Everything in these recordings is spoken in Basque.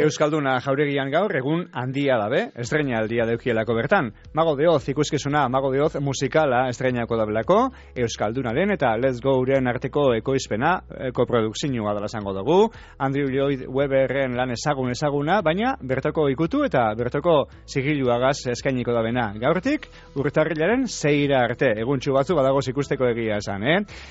Euskalduna jauregian gaur egun handia dabe, estreinaldia deukielako bertan. Mago de Oz ikuskizuna, Mago de Oz musikala estreinako dabelako, Euskaldunaren eta Let's Go-ren arteko ekoizpena, koprodukzioa dela esango dugu, Andrew Lloyd Webberren lan ezaguna, baina bertoko ikutu eta bertoko sigiluagaz eskainiko dabena. Gaurtik, urtarrilaren 6 arte, eguntxu batzu badagoz ikusteko egia esan,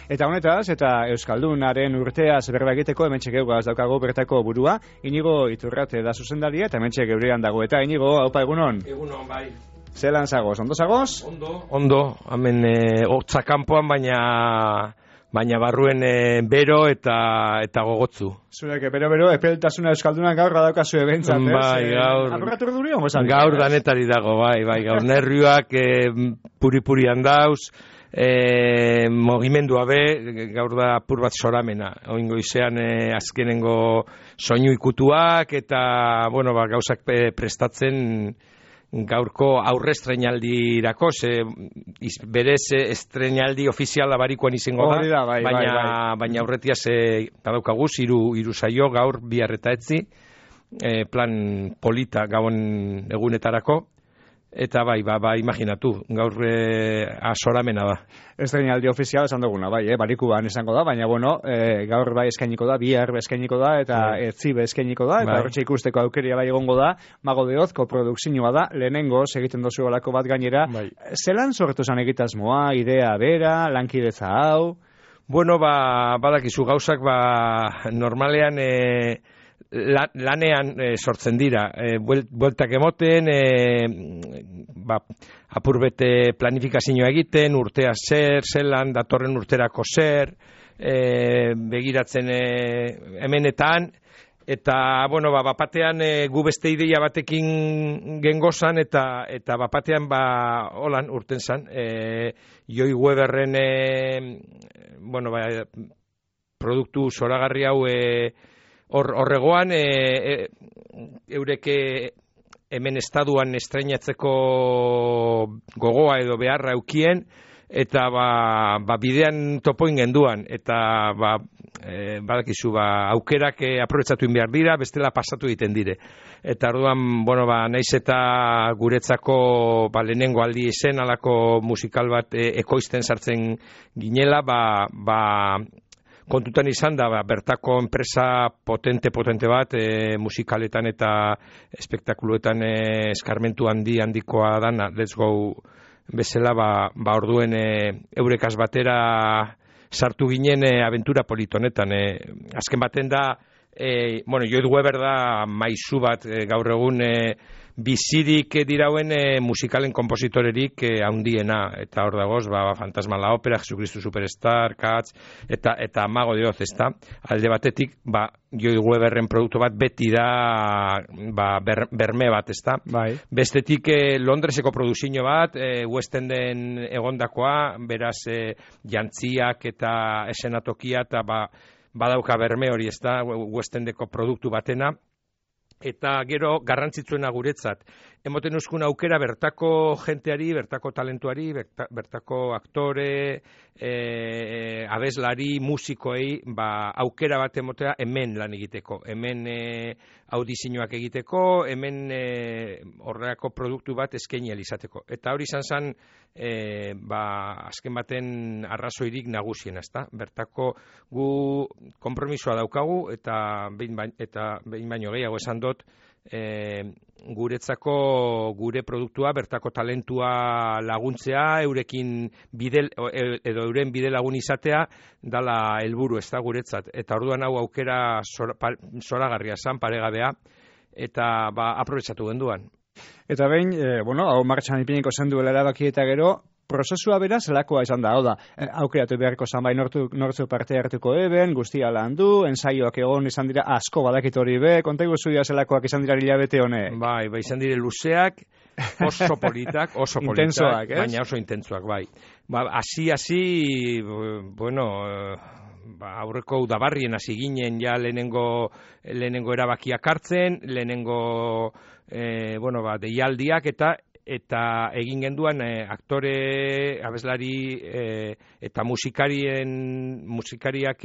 Eta honetaz, eta Euskaldunaren urteaz berba egiteko, hementxe geugaz daukago bertako burua, Inigo Iturrate da zuzendaria, eta hementxe geurean dago. Eta Inigo, haupa egunon? Egunon, bai. Zelan zagoz, ondo zagoz? Ondo, hemen hotza kanpoan, baina barruen bero eta gogotzu. Zureke, bero, epeltasuna Euskaldunan gaur badaukazu ebentzat, Bai, gaur... Apurratu erduri hongo zan? Gaur danetari dago, bai, gaur nervioak puri-purian dauz, mogimendua be, gaur da apur bat soramena. Oingo izean azkenengo soinu ikutuak eta, gauzak prestatzen gaurko aurre estreinaldirako, berez estreinaldi ofiziala barikoan izango da, baina aurretiaz badaukaguz, hiru saio gaur bihar eta etzi, plan polita gabon egunetarako, eta imaginatu, gaur asoramena da. Estreinaldi ofiziala esan duguna, barikuan esango da, baina gaur eskainiko da, bihar eskainiko da, eta etzi eskainiko da, eta horretxe ikusteko aukeria egongo da, Mago de Oz, koprodukzioa da, lehenengo, egiten dozu olako bat gainera, zelan sortu zan egitasmoa, idea bera, lankidetza hau? Badakizu gauzak, normalean, lanean sortzen dira, bueltak emoten, apurbete planifikazioa egiten, urtea zelan, datorren urterako begiratzen hemenetan, eta, bapatean gu beste ideia batekin gengozan, eta bapatean, holan urten zan, Joi Weberren, produktu zoragarri hau, horregoan, eureke hemen estaduan estreinatzeko gogoa edo beharra eukien, eta bidean topoin genduan, eta badakizu, aukerak aprobetxatu behar dira, bestela pasatu egiten dire. Eta orduan, naiz eta guretzako lehenengo aldi zen, alako musikal bat ekoizten sartzen ginela, kontutan izan da, bertako enpresa potente bat, musikaletan eta espektakuluetan eskarmentu handikoa dana, Let's Go bezala, orduen eurekaz batera sartu ginen aventura politonetan. Azken baten da, Lloyd Webber da maizu bat gaur egun bizirik dirauen musikalen kompositorerik handiena, eta hor dagoz, Fantasma la Ópera, Jesucristo Superstar, Cats, eta Mago de Oz, ezta? Alde batetik, Lloyd Webberren produktu bat beti da berme bat, ezta? Bestetik Londreseko produkzio bat, West Enden egondakoa, beraz jantziak eta esenatokia, eta badauka berme hori, ezta? West Endeko produktu batena, eta gero garrantzitsuena guretzat. Emoten uzkun aukera bertako jenteari, bertako talentuari, bertako aktore, abeslari, musikoei, aukera bat emotea hemen lan egiteko. Hemen audizioak egiteko, hemen horreako produktu bat eskaini izateko. Eta hori izan zen, azken baten arrazoirik nagusien, ezta? Bertako gu konpromisoa daukagu, eta behin baino gehiago esan dut, guretzako gure produktua, bertako talentua laguntzea, euren bide lagun izatea, dala helburu, ez da guretzat. Eta orduan hau aukera zoragarria zan, paregabea, eta aprobetxatu genduan. Eta behin, hau martxan ipiniko zen duela erabaki eta gero, prozesua bera zelakoa izan da, aukeratu beharko zan nortzu parte hartuko eben, guztia landu, ensaioak egon izan dira asko badakit hori kontaigu zuia zelakoak izan dira hilabete hone. Izan dire luzeak, oso politak, intensoak, baina oso intentsuak, hasi, aurreko udabarrien hasi ginen ja lehenengo erabakiak hartzen, lehenengo deialdiak eta egin genduan aktore, abeslari eta musikariak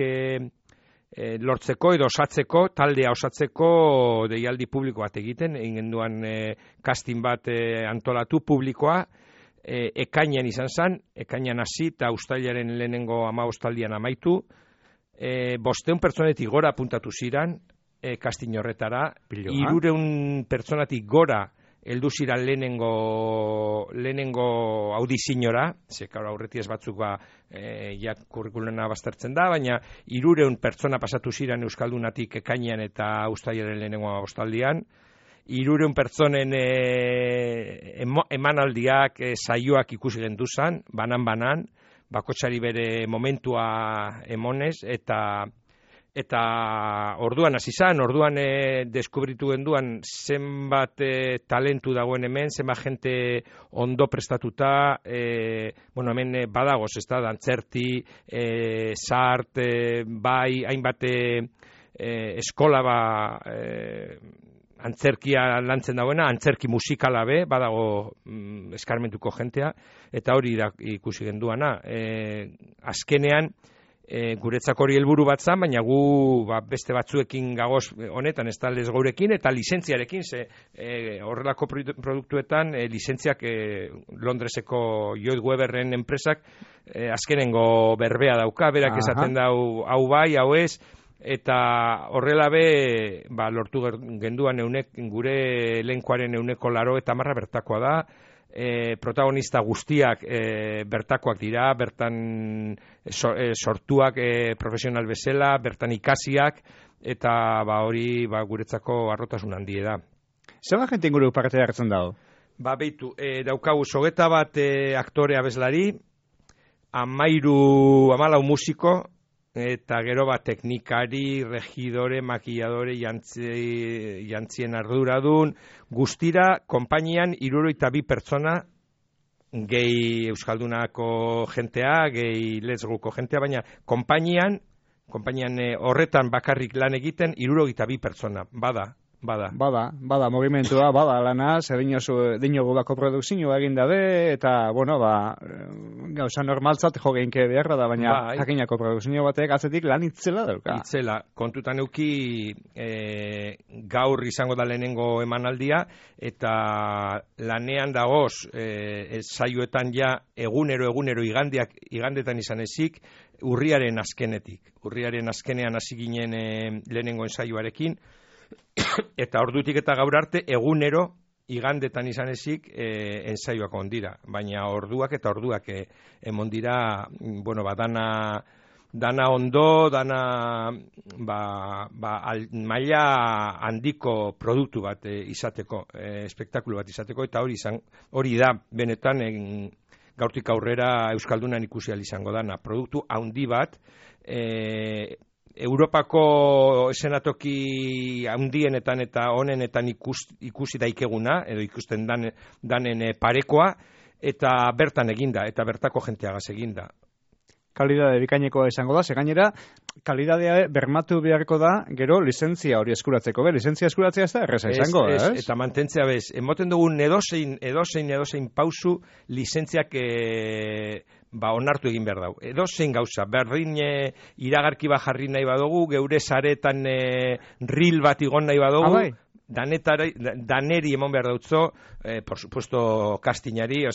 lortzeko edo osatzeko, taldea osatzeko deialdi publiko bat egiten, egin duan casting bat antolatu publikoa, ekainean izan zen, ekainean hasi eta uztailaren lehenengo 15 amaitu, 500 pertsonetik gora apuntatu ziran, casting horretara, 300 pertsonatik gora heldu ziran lehenengo audiziñora, zeka aurreti ez batzuk ja kurrikulena baztertzen da, baina 300 pertsona pasatu ziran Euskaldunatik ekainean eta uztailaren lehenengo ostaldian, 300 pertsonen emanaldiak, saioak ikusi genduzan, banan, bakotxari bere momentua emonez, eta orduan hasi zan, orduan deskubritu genduan zenbat talentu dagoen hemen, zenbat jente ondo prestatuta, hemen badagoz, ez da, dantzerti, sart, bai, hainbat eskola antzerkia lantzen dagoena, antzerki musikala badago eskarmentuko jentea, eta hori ikusi genduana. Azkenean, guretzako hori helburu bat zan, baina gu beste batzuekin gagoz honetan, ez da Lesgourekin, eta lizentziarekin, horrelako produktuetan, lizentziak Londreseko Lloyd Webberren enpresak azkenengo berbea dauka, berak esaten dau hau bai, hau ez, eta horrela lortu genduan gure elenkoaren 80% bertakoa da, protagonista guztiak bertakoak dira, bertan sortuak profesional bezala, bertan ikasiak, eta hori guretzako harrotasun handie da. Zer da jente inguru parte hartzen dago? Beitu, daukagu 21 aktore abeslari, 14 musiko, eta gero teknikari, regidore, makilladore, jantzien arduradun, guztira, konpainian 62 pertsona, gehi Euskaldunako jentea, gehi Lesgouko jentea, baina konpainian horretan bakarrik lan egiten 62 pertsona, bada. Bada, movimentua, bada lana, dino gudako produkzioa egin dabe, eta, gauza normaltzat jo geinke beharra da, baina jakinako produkzio batek atzetik lan itzela dauka. Itzela, kontutan euki gaur izango da lehenengo emanaldia, eta lanean dagoz, saioetan ja egunero igandetan izan ezik, urriaren azkenean hasi ginen lehenengo ensaioarekin, eta ordutik eta gaur arte egunero igandetan izan ezik ensaioak ondira, baina orduak emon dira, dana ondo, dana maila handiko produktu bat izateko, espektakulu bat izateko, eta hori da benetan gaurtik aurrera Euskaldunan ikusi ahal izango dana, produktu handi bat, Europako esenatoki handienetan eta honenetan ikusi daikeguna, edo ikusten danen parekoa, eta bertan eginda, eta bertako jenteagaz eginda. Kalidade bikainekoa izango da, gainera kalidadea bermatu beharko da, gero lizentzia hori eskuratzeko, lizentzia eskuratzea ez da erreza izango, ez? Eta mantentzea emoten dugun edozein pausu lizentziak onartu egin behar dau. Edozein gauza, berdin iragarki bat jarri nahi badugu, geure saretan reel bat igon nahi badugu, daneri emon behar dautzo, por supuesto castingari,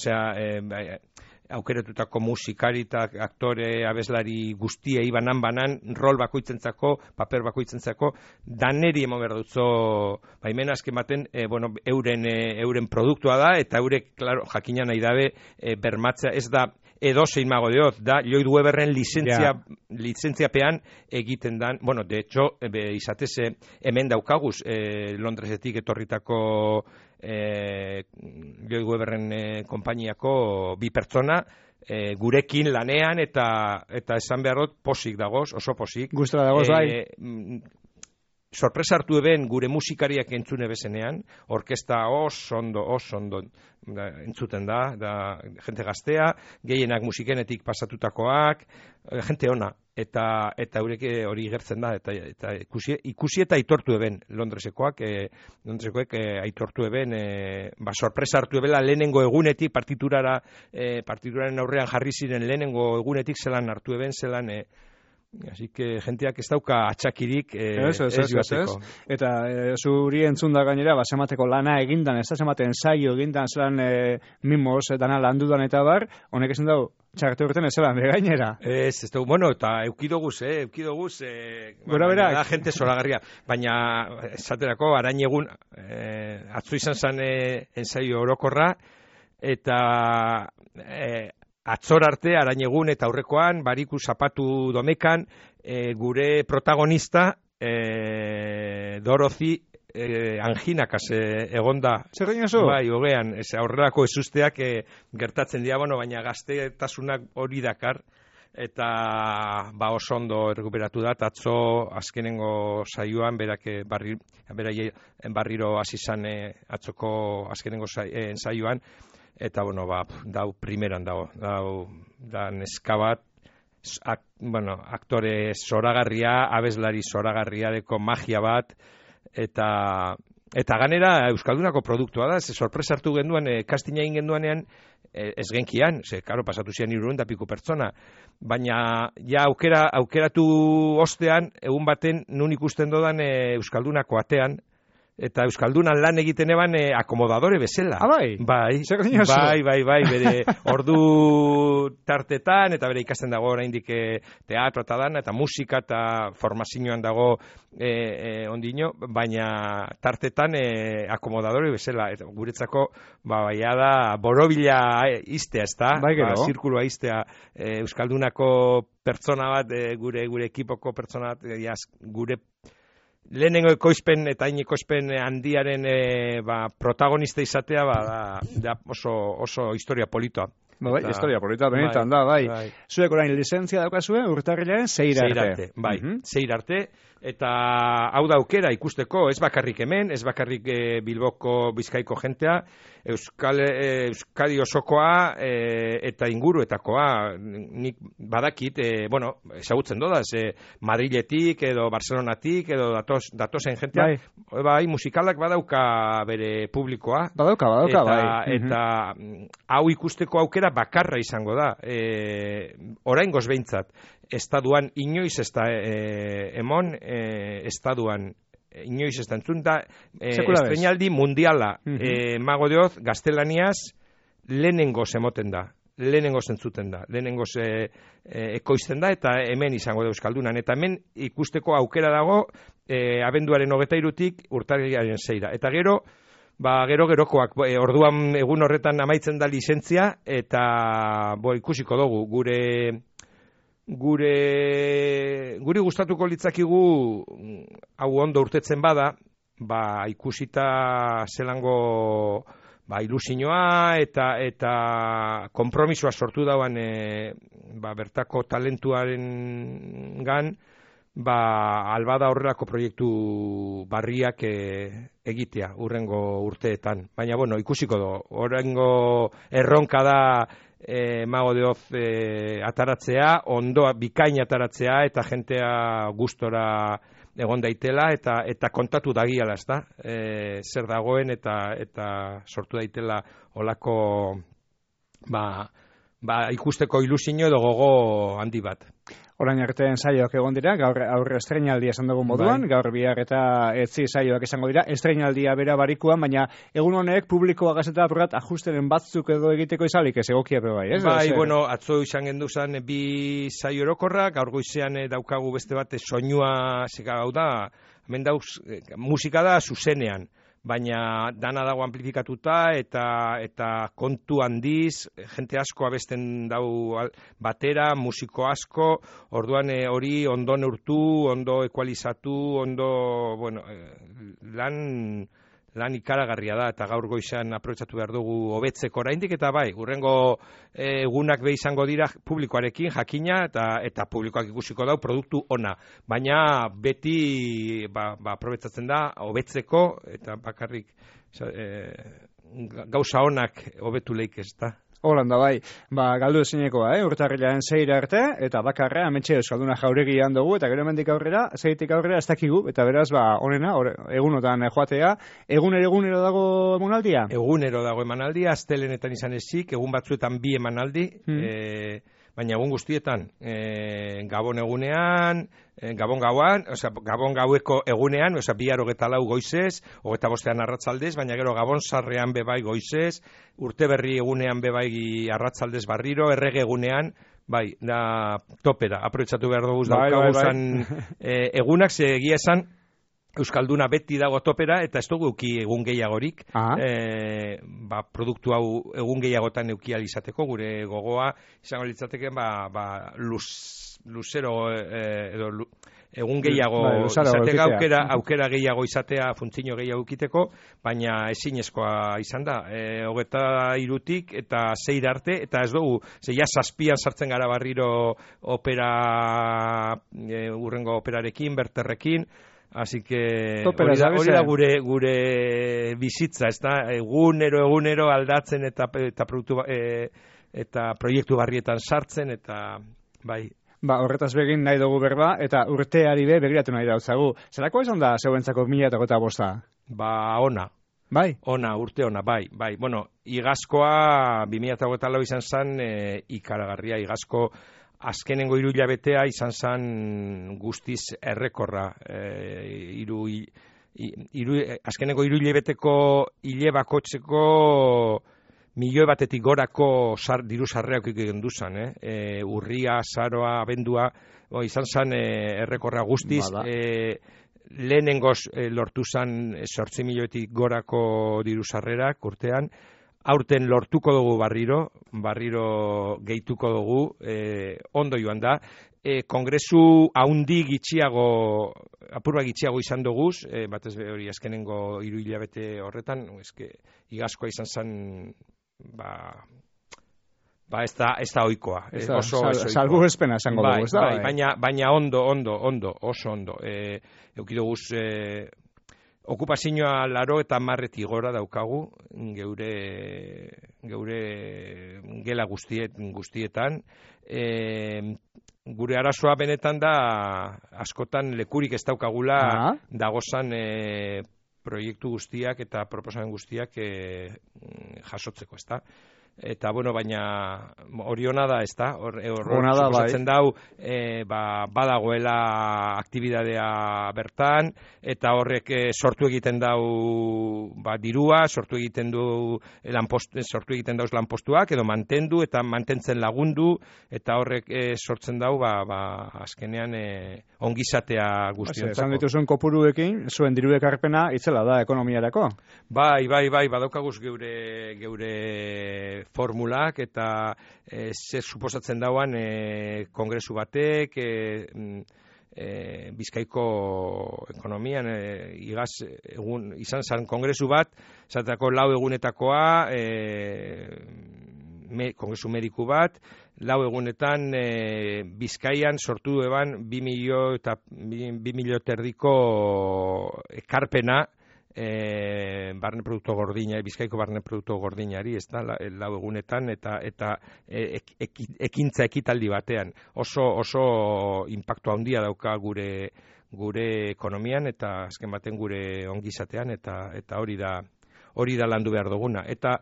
aukeretutako musikari eta aktore abeslari guztiei banan, rol bakoitzentzako, paper bakoitzentzako, daneri emon behar dutzo baimena azken baten, euren produktua da, eta eurek, claro, jakina nahi dabe, bermatzea, ez da edozein Mago de Oz, da Lloyd Webberren lizentziapean egiten dan, de hecho, izatez hemen daukaguz, Londresetik etorritako Lloyd Webberren konpainiako 2 pertsona, gurekin lanean, eta esan beharrot posik dagoz, oso posik. Gustora dagoz, bai. Sorpresa hartu eben gure musikariak entzune bezenean, orkesta oso ondo entzuten da jente gaztea, gehienak musikenetik pasatutakoak, jente ona, eta eurek hori gertzen da, eta ikusi eta aitortu eben Londresekoek aitortu eben, sorpresa hartu ebela lehenengo egunetik, partituraren aurrean jarri ziren lehenengo egunetik zelan hartu eben, zelan Así que jenteak ez dauka atxakirik ez joateko. Eta zuri entzun da gainera, semateko lana egindan, ez da sematen saio egindan, zelan mimos, dana landudan eta bar, honek esan dau, txarte urten ez zelan, gainera. Ez dugu, bueno, eta eukidoguz, Gora berak. Da jente zoragarria, baina esaterako, arain egun, atzu izan zen ensaio orokorra, eta atzor arte, arain egun eta aurrekoan, bariku zapatu domekan, gure protagonista, Dorothy, anginakaz egonda. Zer egin oso? Bai, hogean, aurrerako ezusteak gertatzen dira, baina gaztetasunak hori dakar, eta oso ondo errecuperatu da, atzo azkenengo saioan, berriro hasi zan atzoko azkenengo saioan, eta, dau primeran dago, da neska bat, aktore zoragarria, abeslari zoragarria deko magia bat, eta ganera Euskaldunako produktua da, sorpresa hartu genduan, kastina egin genduanean, ez genkian, karo, pasatu zian 300 piku pertsona, baina ja aukeratu ostean, egun baten nun ikusten dodan Euskaldunako atean, eta Euskaldunan lan egiten eban akomodadore bezala. Bai? Bai, bere ordu tartetan, eta bere ikasten dago oraindik teatro eta dan, eta musika eta formazioan dago ondino, baina tartetan akomodadore bezala. Eta guretzako, baia da, borobila iztea, ez da? Bai, gero. Zirkulua iztea Euskaldunako pertsona bat, gure ekipoko pertsona bat, gure lehenengo ekoizpen eta ekoizpen handiaren protagonista izatea da oso historia politoa. Bai, historia polita, benetan da, bai. Zuek orain lizentzia daukazue, urtarrilaren 6 arte. Bai, 6 arte. Eta hau da aukera ikusteko, ez bakarrik hemen, ez bakarrik Bilboko Bizkaiko jentea, Euskadi osokoa eta inguruetakoa, nik badakit, ezagutzen dodaz, Madriletik edo Barcelonatik edo datozen jentea, bai, musikalak badauka bere publikoa. Badauka, bai. Eta hau ikusteko aukera bakarra izango da, oraingoz behintzat. Estaduan inoiz ez da emon, estaduan inoiz ez da entzun da, estreinaldi mundiala, Mago de Oz, gaztelaniaz, lehenengoz emoten da, lehenengoz entzuten da, lehenengoz ekoizten da, eta hemen izango da Euskaldunan, eta hemen ikusteko aukera dago, abenduaren 23-tik urtarrilaren 6. Eta gero-gerokoak, orduan egun horretan amaitzen da lizentzia, eta ikusiko dugu, guri gustatuko litzakigu hau ondo urtetzen bada, ikusita zelango ilusioa eta konpromisoa sortu dauan bertako talentuaren gan, albada horrelako proiektu barriak egitea urrengo urteetan. Baina, ikusiko do, urrengo erronka da Mago de Oz ataratzea, ondoa bikain ataratzea, eta jentea gustora egon daitela, eta kontatu dagiala, ez da? Zer dagoen, eta sortu daitela olako ikusteko ilusio edo gogo handi bat. Orain arte ensaioak egon dira, gaur aurre estreinaldia esan dugun moduan, Gaur bihar eta etzi saioak izango dira, estreinaldia bera barikuan, baina egun honek publikoa gazeta apurat ajusteren batzuk edo egiteko izalik, ez egokia bai, ez? Bai, atzo izan genduzan 2 saio orokorra, gaur goizean daukagu beste bat soinua, hau da, hemen dauz, musika da zuzenean, baina dana dago amplifikatuta eta kontu handiz, jente asko abesten dau batera, musiko asko, orduan hori ondo neurtu, ondo ekualizatu, ondo, lan ikaragarria da, eta gaur goizan aprobetxatu behar dugu hobetzeko oraindik, eta hurrengo egunak izango dira publikoarekin jakina, eta publikoak ikusiko dau produktu ona. Baina beti aprobetxatzen da hobetzeko, eta bakarrik gauza onak hobetu leik ez da. Holanda bai, galdu ezinekoa, urtarrilaren 6 arte, eta bakarra, ametxe Euskalduna jauregian dugu, eta gero hemendik aurrera, 6tik aurrera ez dakigu, eta beraz, honena, egunotan joatea, egunero dago emanaldia? Egunero dago emanaldia, astelenetan izan ezik, egun batzuetan 2 emanaldi, baina egun guztietan, Gabon egunean, Gabon gauan, Gabon gaueko egunean, bihar 24 goizez, 25 arratsaldez, baina gero Gabon sarrean bebai goizez, urte berri egunean bebai arratsaldez barriro, errege egunean, bai, da topera, aprobetxatu behar dugu daukaguzan egunak, ze egia esan, Euskalduna beti dago topera, eta ez dugu euki egun gehiagorik, produktu hau egun gehiagotan eukial izateko, gure gogoa, izango litzateke, luzero, edo egun gehiago izateko, aukera gehiago izatea, funtzio gehiago ukiteko, baina ezinezkoa izan da, 23tik eta 6 arte, eta ez dugu, ja 7an sartzen gara barriro opera, urrengo operarekin, berterrekin, así que hori da gure bizitza, ez da, egunero aldatzen eta produktu eta proiektu barrietan sartzen, eta bai. Horretaz begin nahi dugu berba, eta urteari begiratu nahi dautzagu. Zerako izan da zeuentzako 2025? Ona. Bai? Urte ona, bai. Bueno, igazkoa 2024 izan zen ikaragarria, igazko azkenengo 3 hilabetea izan zen guztiz errekorra. Azkenengo 3 hilabeteko hile bakotzeko 1.000.000 gorako diru sarrerak egiten duzan. Urria, azaroa, abendua, izan zen errekorra guztiz. Lehenengoz lortu zen 8.000.000 gorako diru sarrerak urtean. Aurten lortuko dugu barriro gehituko dugu, ondo joan da. Kongresu haundi apurba gitxiago izan duguz, batez hori azkenengo 3 hilabete horretan, igazkoa izan zen, ez da ohikoa. Salbu espena esango dugu, ez da? Baina ondo, oso ondo. Eukidoguz, okupazioa 80 gora daukagu geure gela guztietan. Gure arazoa benetan da askotan lekurik ez daukagula dagozan proiektu guztiak eta proposamen guztiak jasotzeko, ez da? Eta, baina hori ona da, ez da? Suposatzen dau, badagoela aktibidadea bertan, eta horrek sortu egiten dau dirua, sortu egiten dauz lanpostuak, edo mantendu, eta mantentzen lagundu, eta horrek sortzen dau, azkenean ongizatea guztiontzako. Esan dituzuen kopuruekin, zuen diru ekarpena itzela da ekonomiarako? Bai, badaukaguz geure formulak, eta zer suposatzen dauan kongresu batek, Bizkaiko ekonomian, izan zen kongresu bat, zatako 4 egunetakoa, kongresu mediku bat, 4 egunetan Bizkaian sortu eban 2.000.000 ekarpena, barne produktu gordina, Bizkaiko barne produktu gordinari, ez da, 4 egunetan, eta ekintza ekitaldi batean. Oso impactu handia dauka gure ekonomian, eta azken baten gure ongizatean, eta hori da landu behar duguna. Eta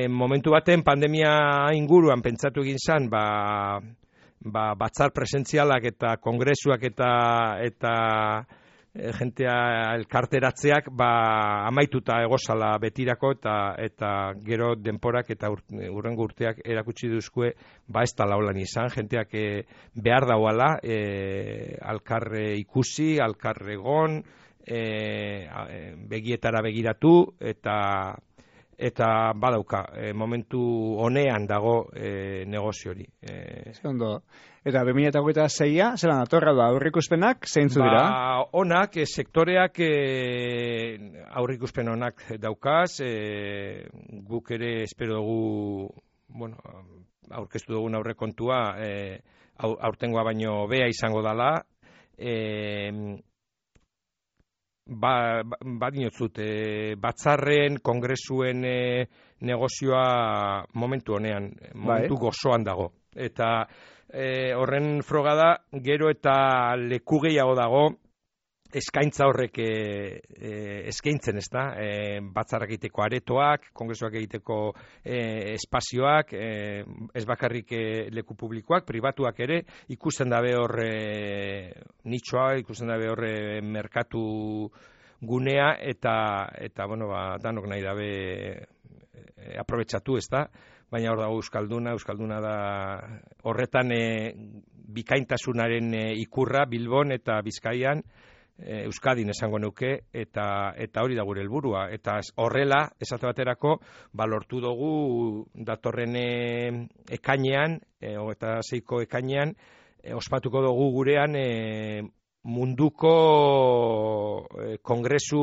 momentu baten pandemia inguruan pentsatu egin zen, batzar presentzialak eta kongresuak eta jentea elkarteratzeak amaituta egozala betirako, eta gero denporak eta urrengo urteak erakutsi duzkue ez da laulan izan, jenteak behar dauala alkarre ikusi, alkarre egon, begietara begiratu, eta badauka, momentu honean dago negozio hori. Eta 2026a, zelan atorra da aurrikuspenak, zeintzu dira? Onak, sektoreak aurrikuspen onak daukaz, guk ere espero dugu, aurkeztu dugun aurrekontua, aurtengoa baino bea izango dala, badinotzut, batzarren, kongresuen negozioa momentu honean, momentu gozoan dago. Eta horren froga da, gero eta leku gehiago dago, eskaintza horrek eskaintzen, ez da, batzarrak egiteko aretoak, kongresuak egiteko espazioak, ez bakarrik leku publikoak, pribatuak ere, ikusten dabe hor nitxoa, ikusten dabe hor merkatu gunea, eta bueno, danok nahi dabe aprobetxatu, ez da, baina hor dago Euskalduna da horretan bikaintasunaren ikurra Bilbon eta Bizkaian, Euskadin esango nuke, eta hori da gure helburua, eta horrela, esate baterako, lortu dugu datorren ekainean, eta 6ko ekainean, ospatuko dugu gurean munduko kongresu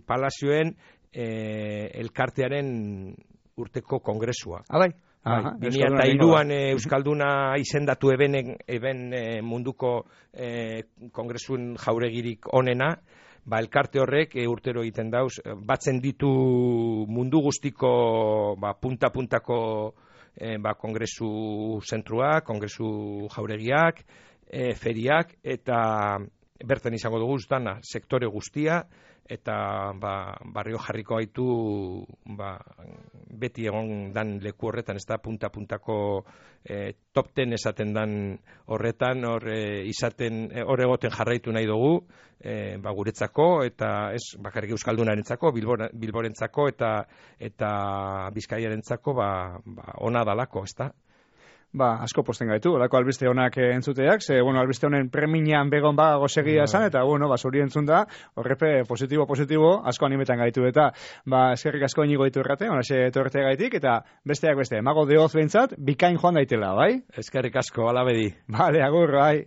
palazioen elkartearen urteko kongresua. Abai. 2002an Euskalduna izendatu eben munduko kongresun jauregirik onena, elkarte horrek urtero egiten dauz, batzen ditu mundu guztiko punta-puntako kongresu zentrua, kongresu jauregiak, feriak, eta bertan izango dugu dana sektore guztia, eta barrio jarriko gaitu beti egon dan leku horretan, ez da punta-puntako top 10 esaten dan horretan, hor egoten jarraitu nahi dugu, guretzako, eta ez bakarrik Euskaldunarentzako, Bilborentzako eta Bizkaiarentzako ona dalako, ez da? Asko posten gaitu, olako albiste honak entzuteak, albiste honen premiñan begon gosegia esan, eta, zuri entzun da, horrepe positibo, asko animetan gaitu, eta, eskerrik asko inigo ditu errate, honaxe torte gaitik, eta besteak beste, Mago de Oz behintzat, bikain joan daitela, bai? Eskerrik asko, alabedi. Bale, agur, bai.